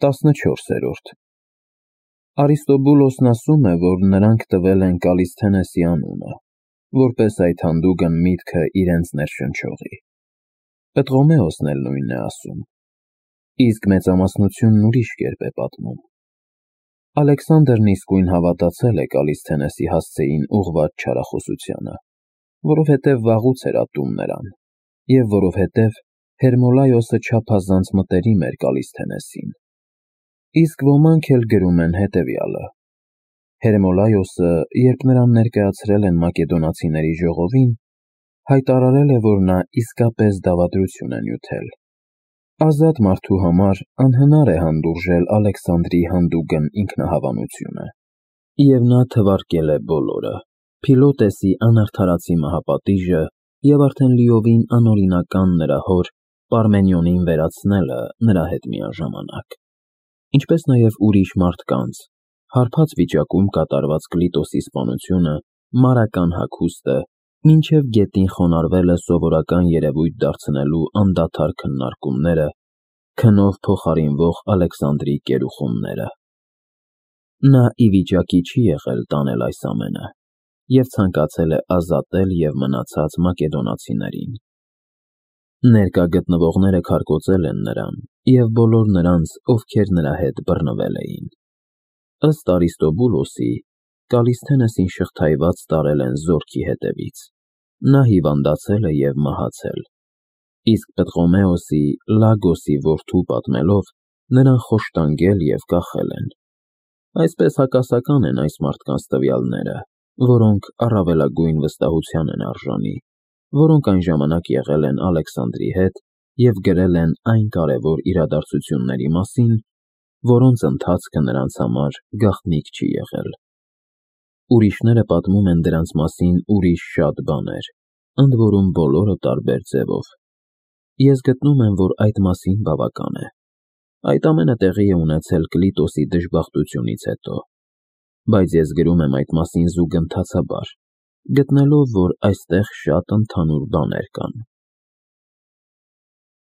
14-րդ Արիստոբուլոսն ասում է, որ նրանք տվել են Կալիսթենեսի անունը, որպես այդ հանդուգն միտքը իրենց ներշնչողի։ Պտղոմեոսն էլ նույնն է ասում, իսկ մեծամասնությունն ուրիշ կերպ է պատմում։ Ալեքսանդրն իսկույն հավատացել է Կալիսթենեսի հասցեին ուղղված չարախոսությանը, որովհետև վաղուց էր ատում նրան, և որովհետև Հերմոլայոսը չափազանց մտերիմ էր Կալիսթենեսին։ Իսկ ոմանք էլ գրում են հետևյալը. Հերմոլայոսը, երբ նրան ներկայացրել են մակեդոնացիների ժողովին, հայտարարել է, որ նա իսկապես դավադրություն է նյութել։ Ազատ մարդու համար անհնար է հանդուրժել Ալեքսանդրի հանդուգն ինքնահավանությունը, և նա թվարկել է բոլորը, Փիլոտեսի անարդարացի մահապատիժը և արդեն լիովին անօրինական նրա հոր Պարմենիոնին վերացնելը նրա հետ միաժամանակ, ինչպես նաև ուրիշ մարդկանց, հարբած վիճակում կատարված Կլիտոսի սպանությունը, մարական հագուստը, մինչև գետին խոնարհվելը սովորական երևույթ դարձնելու անդադար քննարկումները, քնով փոխարինվող Ալեքսանդրի կերուխումները։ Նա ի վիճակի չի եղել տանել այս ամենը և ցանկացել է ազատել և մնացած մակեդոնացիներին։ Ներկա գտնվողները քարկոծել են նրան և բոլոր նրանց, ովքեր նրա հետ բռնվել էին։ Ըստ Արիստոբուլոսի, Կալիսթենեսին շղթայված տարել են զորքի հետևից, նա հիվանդացել է և մահացել, իսկ Պտղոմեոսի, Լագոսի որդու պատմելով, նրան խոշտանգել և կախել են։ Այսպես հակասական են այս մարդկանց տվյալները, որոնք առավելագույն վստահության են արժանի, որոնք այն ժամանակ եղել են Ալեքսանդրի հետ և գրել են այն կարևոր իրադարձությունների մասին, որոնց ընթացքը նրանց համար գաղտնիք չի եղել։ Ուրիշները պատմում են դրանց մասին ուրիշ շատ բաներ, ընդ որում բոլորը տարբեր ձևով։ Ես գտնում եմ, որ այդ մասին բավական է։ Այդ ամենը տեղի է ունեցել Կլիտոսի դժբախտությունից հետո, բայց ես գրում եմ այդ մասին զուգընթացաբար, գտնելով, որ այստեղ շատ ընդհանուր բաներ կան։